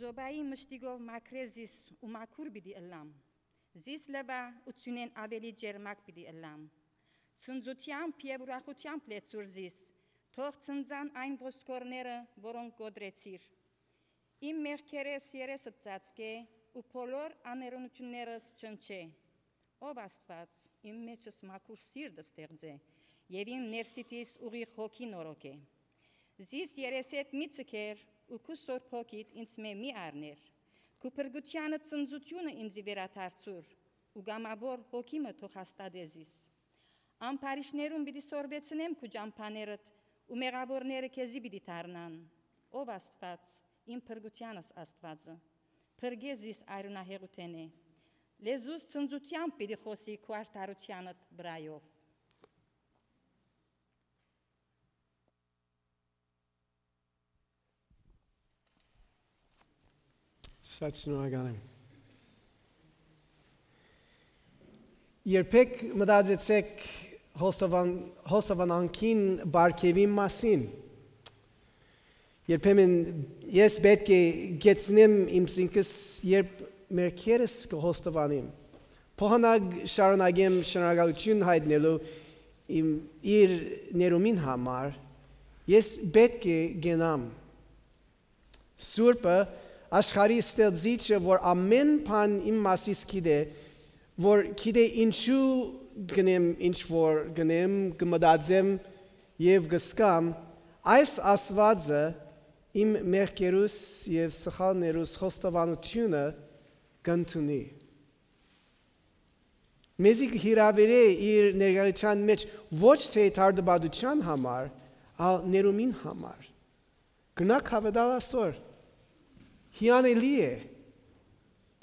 Զոբայի մշտիկով մակրեզիս ու մակուր պիտի ըլլամ, զիս լվա ու ծունեն ավելի ջերմակ պիտի ըլլամ, ցնծությամբ և ուրախությամբ լեցուր զիս, թող ցնծան այն ոսկորները, որոնք գոդրեցիր, իմ մեղքերես երեսդ ծածկե ու բոլոր աներունություններս չնչե, ով Աստված, իմ մեջս մաքուր սիրտը ստեղծե և իմ ներսիտիս ուղիղ հոգի նորոգե, զիս երեսետ մի ցկեր ու քու սորբ հոգիդ ինձ մի առներ, քու փրկությանը ծնծությունը ինձի վերադարձուր ու գամավոր հոգիմը թող հաստատե զիս, ամփարիշներում պիտի սորվեցնեմ քու ճամփաներդ ու մեղավորները քեզի պիտի դառնան, ով Աստված, իմ փրկությանս Աստվածը, փրկե զիս արյունահեղութենե, լեզուս ծնծությամբ պիտի խոսի քու արդարությանդ վրայով, Շատ շնորհակալ եմ։ Երբեք մտածեցեք հոստովանանքին բարգևի մասին։ Երբեմն ես պետք է գեցնեմ իմ ինքս, երբ մերքերս կհոստովանեմ։ Փոխանակ շարունակեմ շնորհակալություն հայտնելու իր ներումին համար, ես պետք է գնամ։ Սուրբը աշխարհի ստեղծիչը, որ ամեն բան իմ մասից գիտե, որ գիտե ինչու գնեմ, ինչ որ գնեմ, կմտածեմ և կզգամ, այս Աստվածը իմ մեղքերուս և սխալներուս խոստովանությունը կընդունի։ Մեզի կհրավիրե իր ներկայության մեջ ոչ թե թարդաբադության համար, այլ ներումին համար։ Գնաք հավատալ այսօր։ Հիանալի է։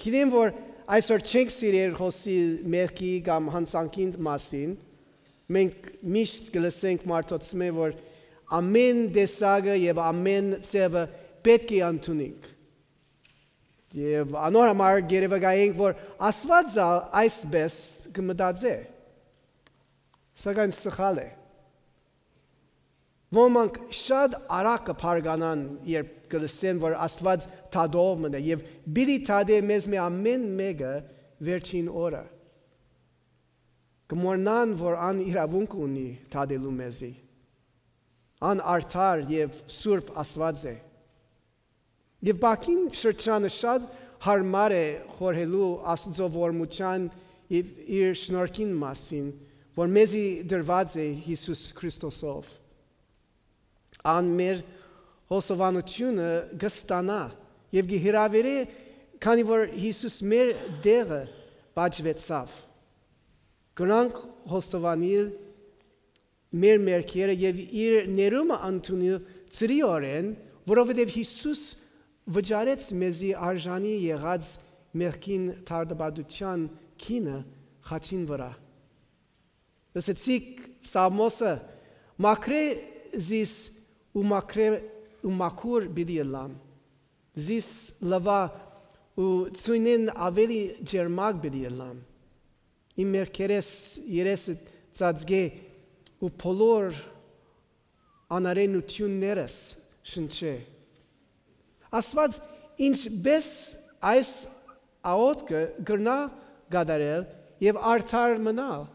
Գիտեմ, որ այսօր չենք սիրել խոսել մեղքի կամ հանցանքի մասին, մենք միշտ կլսենք մարդոցմե, որ ամեն տեսակը և ամեն ձևը պետք է ընդունենք։ Եվ անոր համար գերեվակայենք, որ Աստվածը այսպես կմտածե։ Սակայն սխալ է։ Ոմանք շատ արագ կփարգանան, երբ կլսեն, որ Աստված թադով մնա և պիտի թադե մեզ ամեն մեկը վերջին օրը։ Կմոռնան, որ ան իրավունք ունի թադելու մեզի։ Ան արդար և սուրբ Աստված է։ Եվ բակին շրջանը շատ հարմար է խորհելու Աստծո ողորմության իր շնորհքին մասին, որ մեզի դրված է Հիսուս Քրիստոսով։ Ան մեր հոսովանությունը կստանա և կհրավիրե, քանի որ Հիսուս մեր դեղը բաժվեցավ։ Գնանք հոստովանել մեր մեղքերը և իր ներումը ընդունել ծրիորեն, որովհետև Հիսուս վճարեց մեզի արժանի եղած մեղքին թարդաբադության քինը խաչին վրա։ Լսեցիք Սամոսը, մաքրե զիս ու մաքուր պիտի ըլլամ, զիս լվա ու ծույնեն ավելի ջերմակ պիտի ըլլամ, իմ մեղքերես երեսդ ծածկե ու բոլոր անարենություններս շնչե։ Աստված ինչպես այս աղոթքը կրնա կատարել և արդար մնալ,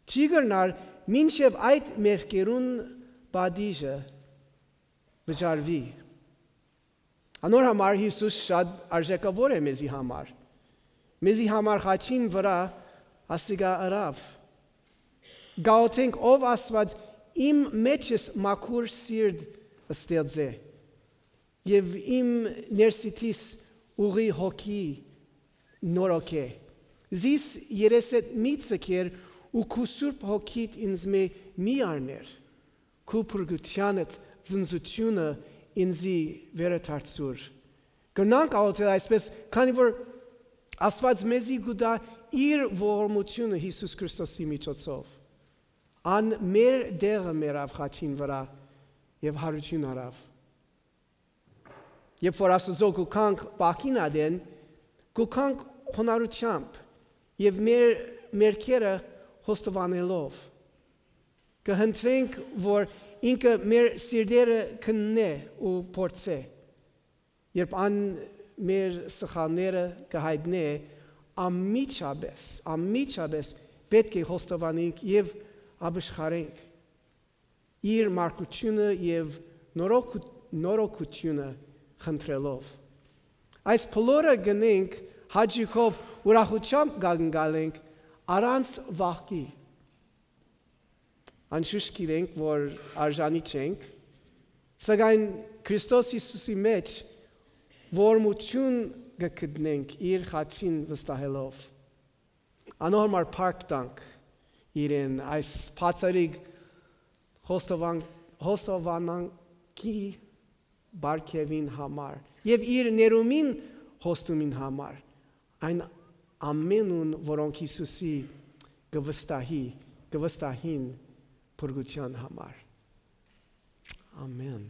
չի կրնար մինչև այդ մեղքերուն պատիժը վճարվի։ Անոր համար Հիսուս շատ արժեքավոր է մեզի համար։ Մեզի համար խաչին վրա ասիկա ըրավ։ Գաղութենք ով Աստված իմ մեջս մաքուր սիրտ ստեղծե և իմ ներսիտիս ուղի հոգի նորոգե։ Զիս երեսետ մի ցկեր ու քու սուրբ հոգիդ ինձ մի առներ, քու փրկությանդ ծնծությունը ինձի վերադարձուր։ Գնանք աղոթել այսպես, քանի որ Աստված մեզի գուտա իր ողորմությունը Հիսուս Քրիստոսի միջոցով։ Ան մեր դեղը մերավ խաչին վրա և հարություն արավ։ Երբ որ Աստծո գուքանք բակին ադեն, գուքանք հոնարությամբ և մեր մերքերը հոստովանելով։ Կհնդրենք, որ ինքը մեր սիրտերը քննե ու փորձե երբ մեր սխալները կհայտնե, ամիջապես պետք է խոստովանենք եւ ապաշխարենք իր մարգությունը եւ նորոգությունը խնդրելով։ Այս բոլորը գնենք հաճիկով ուրախությամբ գալենք առանց վախի։ Անշուշտ գիտենք, որ արժանի չենք, սակայն Քրիստոս Հիսուսի մեջ ողորմություն կգտնենք իր խաչին վստահելով։ Անորմար փառք տանք իրեն այս բացառիկ խոստովանանքի բարգևին համար եւ իր ներումին հոստումին համար, այն ամենուն, որոնք Հիսուսի կվստահին փրկության համար։ Ամեն։